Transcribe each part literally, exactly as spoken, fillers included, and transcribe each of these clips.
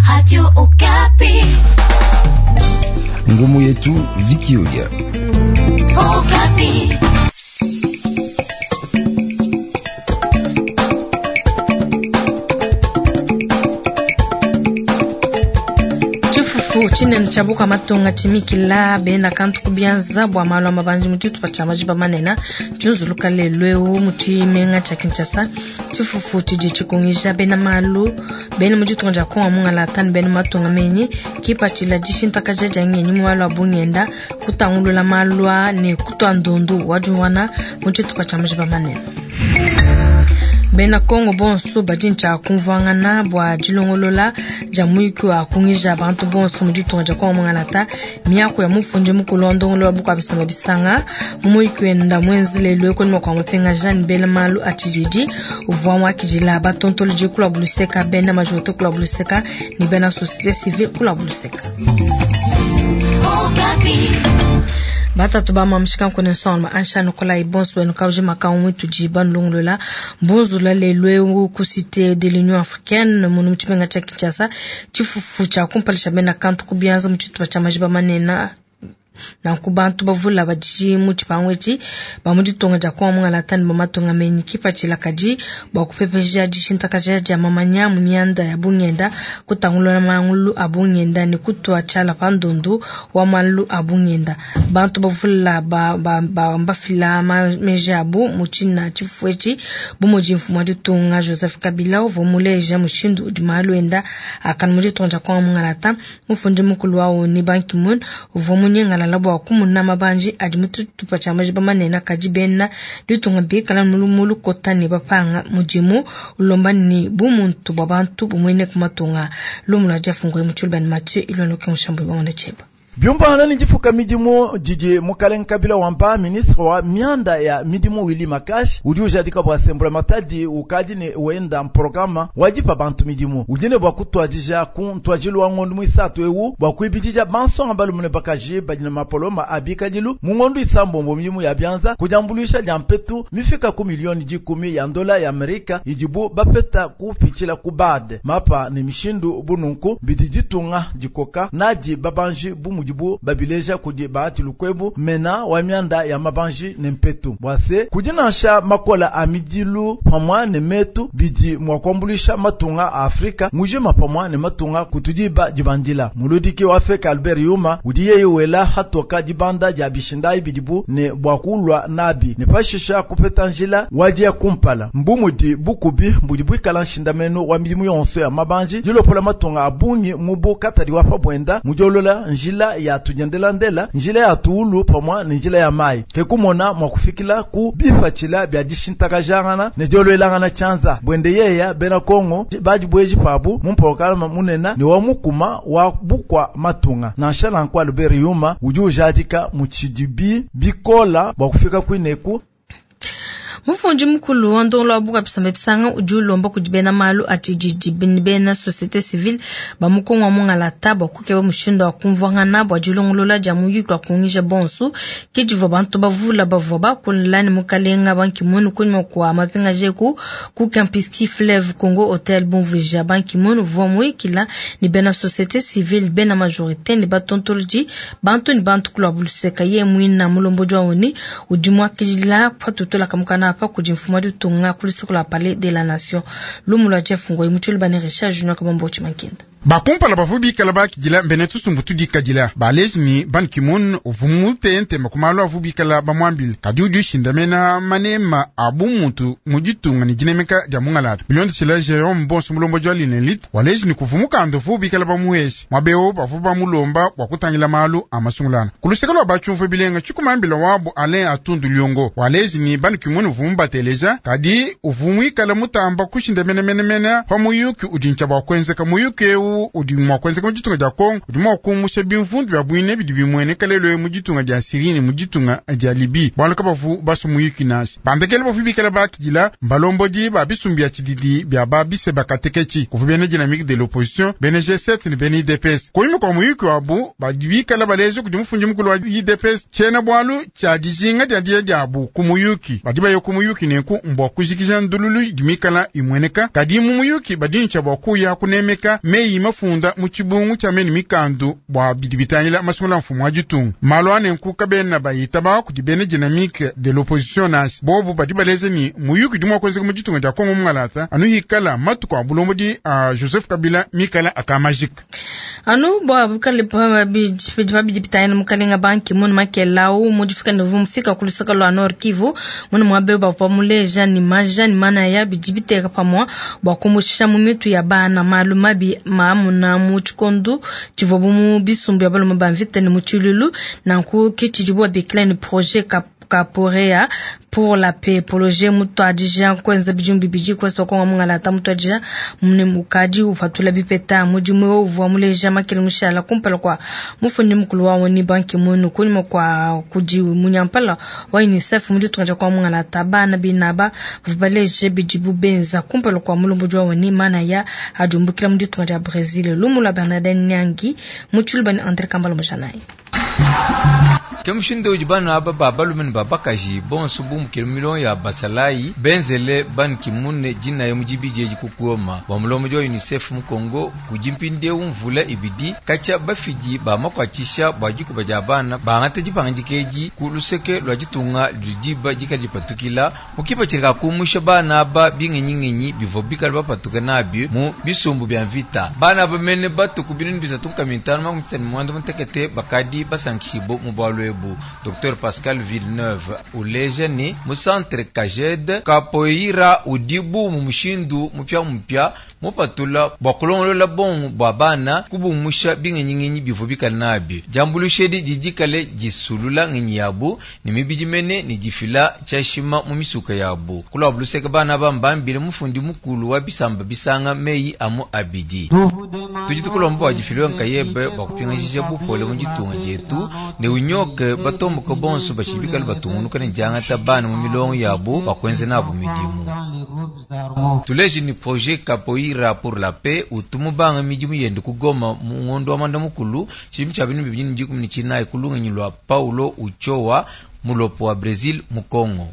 Radio Okapi. Ngumu yetu Vikiolia. Okapi. Tshifufu tshinene tshia bukua matunga tshimikila bena kantu ku bianza bua malu a mabanji mu tshitupa tshia majiba manene tshiunzuluka lelu eu mu tshimenga tshia Kinshasa. Tshifufu tshidi tshikungija bena malu bena mu ditunga dia Kongo mungalata ne bena matunga menyi kipatshila dishintakaja dia ngenyi mu malu a bungenda, kutangulula malu a ne kutua ndundu wa diuwana mu tshitupa tshia majiba manene. Bena Kongo bonso badi ntshia kumvuangana bua dilongolola dia muyuki wa kungija bantu bonso mu ditunga dia Kongo mungalata. Miaku ya mufundi mukulu wa ndongolo wa bukua bisamba bisanga mu muyuki wenda muenze lelu kunyima kua mupingaja ne bela malu a tshididi uvua muakidila batontolodi kula buluseka, bena majorité kula buluseka ne bena société civile kula buluseka. Okapi. Batatu ba mamshika nkone nsonga ansha Nikolai bonso benu kauji makau mwitu jiba nlongolola mbunzula lelu eu ku cité de l'Union africaine munu mu tshimenga tshia Kinshasa. Tshifufu tshia kumpala bena kantu ku bianza mu tshitupa tshia majiba manene nanku bantu bavula badi mu tshipangu etshi ba mu ditunga dia Kongo mungalata ne ba matunga menyi kipatshila kadi bua kupepeja dishintakaja dia mamanya mu mianda ya bungenda, kutangulula mangulu a bungenda ne kutua tshiala pa ndundu wa malu a bungenda. Bantu bavula ba, ba, ba, mbafila meji abu mu tshina tshifufu etshi bu mudi mfumu wa ditunga Joseph Kabila uvua muleja mushindu udi malu enda akana mu ditunga dia Kongo mungalata. Mufundi mukulu wa ONU Ban Ki-moon uvua munyingalala bua kumuna mabanji adi mu tshitupa tshia majiba manene kadi bena ditunga bikala mu lukota ne bapanga mudimu ulomba ne bumuntu bua bantu bumuene ku matunga. Lumu lua Jeff Ngoyi mu Tshilubani Mathieu Ilwanoke Mushambo Ibamona Tsheba. Byumbana ni difuka midimu didi mukalenga Kabila wamba ministre wa mianda ya midimu Willy Makash udi ujadika bua sembula matadi ukadi ne wenda programa wadipa bantu midimu udine bua kutwadija ku ntwajilu wa ngondu mwisatu ewu bua kuibidija bansonga balumune bakaji badi na mapoloma abikadilu mu ngondu isambombo midimu ya bianza kujambuluisha dia mpetu mifika ku milioni dikumi ya ndola ya Amerika idibu bapeta kupitshila ku bad mapa ne mishindu bununku bidi ditunga dikoka nadi babanji bu bu babileja kudi bahati lukwebu mena wa mianda ya mabanji ne mpetu bwase kudi nansha makola a midilu pamwa ne metu bidi mwa kuambulisha matunga a Afrika mujima pamwa ne matunga kutudiba dibandila. Muludiki wa Afrika Albert Yuma udi yeye wela hatoka dibanda dia bishindai bidibu ne bwa kulwa nabi ne pashisha kupeta njila wadia kumpala mbumudi bukubi mbudi bwikala nshindameno wa midimu yonso ya mabanji dilopola matunga abungi mubu katadi wa pabwenda mujolola njila ya tujendelandela njila ya tuulu pamwa ne njila ya mai kekumona mwa kufikila ku bifatshila bya dishintakajangana ne diolwelangana tshianza bwende yeya bena Kongo badi bweji pabu mu mpolokalama munena ne wa mukuma wa bukwa matunga nansha nankwa Albert Yuma udi ujadika mu tshidibi bikola bua kufika kwineku. Mufundi mukulu wa ndongolo wa bukua bisamba bisanga udi ulomba kudi bena malu a tshididi bena société civile ba mu Kongo wa mungalata bua kukeba mushindu wa kumvuangana bua dilongolola dia muyuki wa kungija bonso ke divua bantu bavula bavua bakula ne mukalenga Ban Ki-moon kunyima kua mapingaja eku ku Kempinski Fleuve Congo Hotel bumvuija. Ban Ki-moon uvua muyikila ne bena société civile bena majorité ne batontolodi bantu ne bantu kulua buluseka. Ye muina mulombodi wa ONU udi muakidila patutula kamukana pa kudi mfumu wa ditunga ku luseke lua Palais de la Nation. Lumu lua Jeff Ngoyi mu Tshilubane Richard Junior Kabambo Tshimankenda. Bakumpala bavu bikala bakidila mbene tusumbu tudikadila baleji ni Ban Ki-moon uvu mutente makumalu avu bikala bamwambile kadi udi ushindamena manema abu muntu mu ditunga ne dinemeka dia mungalata bilondeshila Jerome Bonso mulomboji wa Linelit waleji ni kuvu mukanda uvu bikala bamuhesha mwabeo bavu bamulomba bua kutangila malu a masungulana ku luseke lua batshiumvu bilenga tshikumambila wabu Alain Atundu Liongo waleji ni Ban Ki-moon uvu mubateleja kadi uvu muikala mutamba kushindamenamenemena pa muyuki udi ntshia bua kuenzeka muyuki eu udi mua kuenzeka mu ditunga dia Kongo udi mua kumusha bimvundu bia buine bidi bimueneka lelo mu ditunga dia Syrie ne mu ditunga dia Libye bualu kabavu basu muyuki nansha bandekele bavu bikala bakidila mbalombodi ba bisumbu bia tshididi bia babise bakateketshi kuvu bena dynamique de l'opposition bena G sept ne bena U D P S kunyima kua muyuki wabu badi bikala baleja kudi mufundi mukulu wa U D P S tshiena bualu tshia dijinga dia dia diabu ku muyuki badi baye ku muyuki nenku mbua kujikija ndululu idi mikala imueneka kadi mu muyuki badi ntshia bua kuya kunemeka meyi mafunda mu tshibungu tshia meni mikandu bua bidi bitangila masungula mfumu wa ditunga. Malu anenku kabena bayitaba kudi bena dynamique de l'opposition nansha bobu badi baleze ni muyuki udi mua kuenzeka mu ditunga dia Kongo mungalata anu hikala matuku a bulombodi a Joseph Kabila mikala akamajika. Anu bua bukale pa bidi bitangila mukalenga Ban Ki-moon makelau mudifika ne vumfika kulusaka lwa Nord Kivu muna mwabe bavua muleja ni maja ni mana ya bidi biteka pamwa bua kumushisha mu mitu ya bana malu mabi maamuna mu tshikondo tshivua mu bisumbu ya balume ba mvita ne mu tshilulu nanku ke tshidibu babikila ni projet Capoeira pour la paix projet mutuadija kwenza bidimu bibidi kwesa konga mungalata mutuadija mune mukadi ufatula bipeta mudimu uvua muleja makele mushala kumpala kwa mufundi mukulu wa woni Ban Ki-moon kunyuma kwa kudi munyampala wa UNICEF muditunga kwa mungalata bana binaba baleje bidibu benza kumpala kwa mulumbu wa woni mana ya ajumbukila muditunga ja Brazil lumula Bernardin Nyangi muchulubani André Kambalo Mjanai. Kemushindo udi bana aba babalume ne babakaji bonso bumukile milongo ya basalayi benzele Ban Ki-moon dinaye mu dibidi edi kukuoma bua mulombodi wa UNICEF mu Kongo kudi mpindieu mvula ibidi katshia bafidi bamakuatshisha bua dikuba dia bana bangata dipangandika edi ku luseke lua ditunga ludi dikala dipatukila mukipatshila kakumusha bana aba bingenyingenyi bivua bikala bapatuka nabi mu bisumbu bia mvita. Bana aba mene batuku binunu bisatu nkama mitano makumi tatu ne muanda mutekete bakadi basankishibo mu bualu ebu. Docteur Pascal Villeneuve uleja ni mu centre Kajed Capoeira udibu mu mushindu mupya mupya mupatula bua kulongolola bongo bua bana kubumusha bingenyingenyi bivua bikala nabi. Diambuluisha edi didi kale disulula ngenyi yabu ne mibidi mene ne difila tshiashima mu misuka yabu. Kulua luseke bana bambambile mufundi mukulu wa bisamba bisanga meyi amu abidi. Tudi tukulomba bua difilwe nkayebe bua kupingajija bupole mu ditunga dietu ne unyoke batomboka bonso bashibikala batungunuka ne diangata bana mu milongo yabu bakwenze nabu midimu. Tuleje ni projet Capoeira pour la paix utumu banga midimu yende kugoma mu ngondo wa manda mukulu tshidimu tshia binu bibidi ne dikumi ne tshinayi kulungenyi lua Paulo Uchoa mulopo wa Brazil mu Kongo.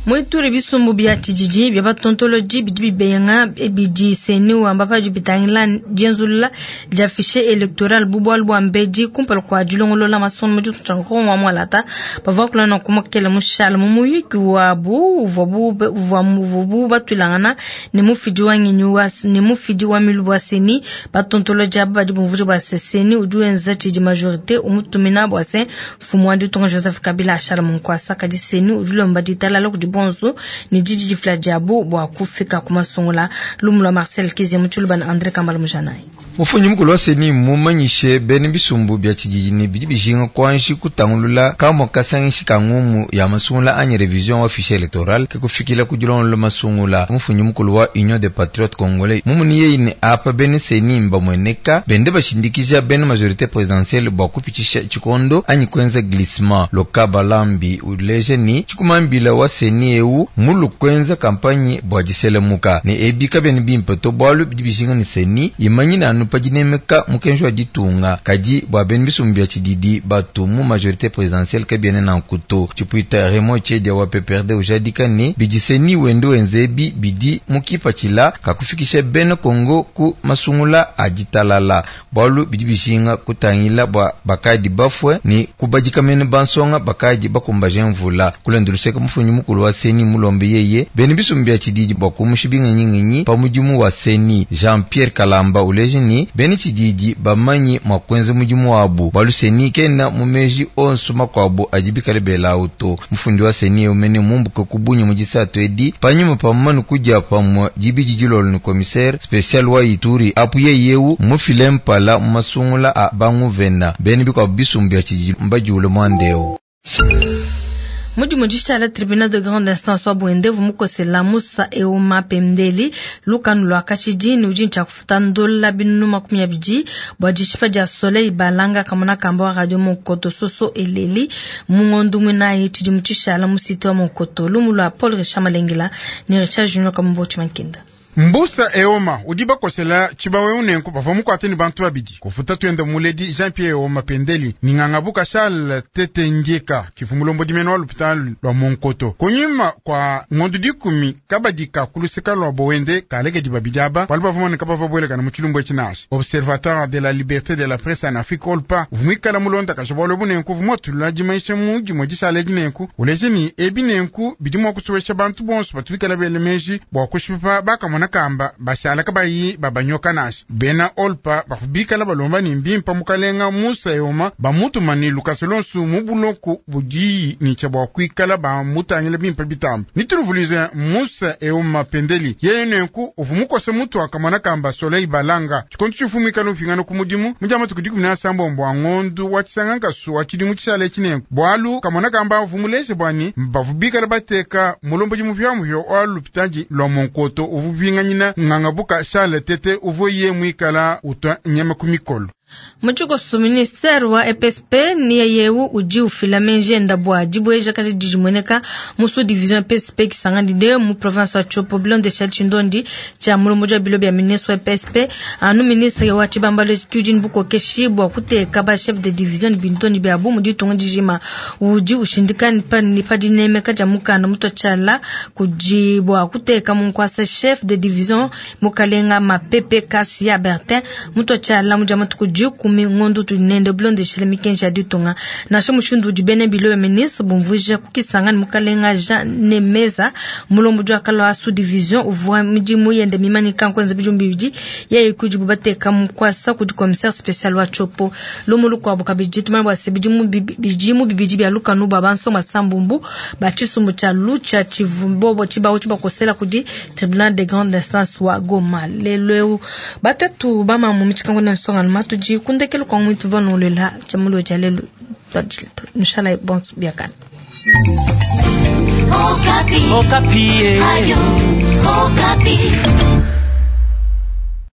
Mwituri bisumbu bia tshijiji bia batontoloji bidi bibenga bidi seni wamba padi bitangila dienzulula dia fichier electoral bubualu bua mbedi kumpala kua dilongolola masomo mu ditunga Kongo wa mwalata bavua kulana kumakela mushala mu muyuki wabu uvua uvua muvubu batwilangana ne mufidi wa ngenyi wa ne mufidi wa milubu wa seni batontoloji aba badi bumvuje bua seni udi wenza tshidi majorité umutumina bua se mfumu wa ditunga Joseph Kabila ashala mu nkuasa kadi seni udi ulomba ditalala kudi bonso ni didi difila diabu bua kufika kumasungula lumula Marcel Kizia mutshulubana André Kambala Mujanai. Mufunyi mukulu wa seni mumanyishe bene bisumbu bia tshijiji ne bidi bijinga kwanshi kutangulula kamwa kasangishi ka ngumu ya masungula anyi revision wa fichier electoral ke kufikila kudilongolola masungula. Mufunyi mukulu wa Union des Patriotes Congolais mumuni yeyi ne apa bene seni mbamweneka bende bashindikija bene majorité présidentielle bua kupitshisha tshikondo anyi kwenza glissement. Loka balambi uleje ni tshikumambila wa seni eu mulu kwenza kampanye bua diselemuka ne ebika bene bimpe to bualu bidi bijinga ne seni imanyina anu padinemeka mukenji wa ditunga kadi bua bene bisumbu bia tshididi batu mu majorité présidentielle kabiene na nkuto. Tshipuita Raymond Tshiedia wa P P R D ujadika ne bidiseni wende wenzebi bidi mukipatshila kakufikisha bene Kongo ku masungula a ditalala bualu bidi bijinga kutangila bua bakadi bafue ne kubadika mene bansonga bakadi bakumbaje mvula. Kulenduluseka mufunyi mukulu wa seni mulombe yeye bene bisumbu bia tshididi bua kumusha bingenyingenyi pa mudimu wa seni. Jean-Pierre Kalamba uleje ni bene tshididi bamanyi mwa kwenza mudimu wabu bualu seni kena mumeji onso makuabu adi bikale bela auto. Mufundi wa seni umene mumbuka kubunyi mudisatu edi panyuma pamanu kudia pamwe dibidi dilolo ni commissaire spécial wa Ituri apu yeyeu mufile mpala masungula a banguvena bene bikwa bisumbu bia tshididi mbadiule mwandeo. Mudimu dishala tribunal de grande instance wa Bwende vumukosela Musa Euma Pemdeli lukanu lwa kashidi ni udi ntsha kufuta ndola binunu makumi abidi bua dishipa dia Soleil Balanga kamona kamba wa radio Monkoto soso eleli mungondu mwinayi tshidimu tshishala mu site wa Monkoto lumu lwa Paul Richard Malengela ni Richard Junior Kambo Chimankenda. Mbusa Eoma udi bakosela tshibawu unenku bavua mukwate ni bantu babidi kufuta twenda muledi Jean Pierre Eoma Pendeli ni ngangabuka Charles Tete Ndieka kifumulombo dimeno wa lupitalo lwa Monkoto kunyuma kwa ngondo dikumi kabadika kuluseka lwa Bowende kalekedi babidi aba bali bavumane kabava bwelekana mu tshilumbu etshi Observatoire de la liberté de la presse en Afrique Olpa vumwikala mulonda kasha bwalo bunenku vumwatulula dimaisha mu dimwe dishala dinenku uleje ni ebi nenku bidi mua kusowesha bantu bonso batubikala bele meji bua kushipa bakamona kamba bashala kabayi babanyoka nasha bena Olpa bakubikala balomba ni mbimpa mukalenga Musa Eoma bamutuma ni Lukaso lonsu mu buloko budiyi ni tshia bua kuikala bamutangila bimpa bitamba nituluvulize Musa Eoma Pendeli yeye nenku uvumukose mutu akamona kamba Soleil Balanga tshikonto tshifumikala ufingana ku mudimu mujama tukudi kumi na sambombo wa ngondu wa tshisangankasu wa tshidimu tshishala tshinenku bwalu kamona kamba uvumulese bwani bavubikala bateka mulombo dimupyamuhyo wa lupitadi lwa Monkoto uvupinganyina ngangabuka Charles Tete uvuye mwikala utwa nyama ku mikolo. Muchikoso ministeri wa E P S P ni yewu uji ufila menje bwa dibweja kaji dijimweneka musu division E P S P kisangani de mu province wa Tshopo bilonde sha Tshindondi cha mulombo ja bilo bya ministre wa E P S P anu ministre wa Tshibambalo Kyujin Bukokeshi bwa kuteka ba chef de division bintoni bya bu mu ditunga dijima uji ushindikani pa ni pa dinemeka ja mukanda muto chala kuji bwa kuteka munkwasa chef de division mukalenga mapepe kasi ya Bertin muto chala muja matuku kumi ngondo tunende blonde shile mikenja ditunga nasho mushindu dibene bilo ministre bumvuja kukisanga ni mukalenga Jean Nemeza mulombo jwa kalwa sous division uvwa midimu yende mimani kankwenza bijumbi bidi yeye kujibu bateka mukwasa kudi commissaire spécial wa Tshopo lomulu kwa bukabiji tumana bwa sebidimu bijimu bibiji bya lukanu babanso masambumbu bachisumbu cha lucha chivumbobo chibawo chibakosela kudi tribunal de grande instance wa Goma lelo batatu bama mu michikango na nsonga matu ji kundekelo kwa mwitu banolela chamulo jalelo inshallah bon biakana. Okapi. Okapi. Radio Okapi.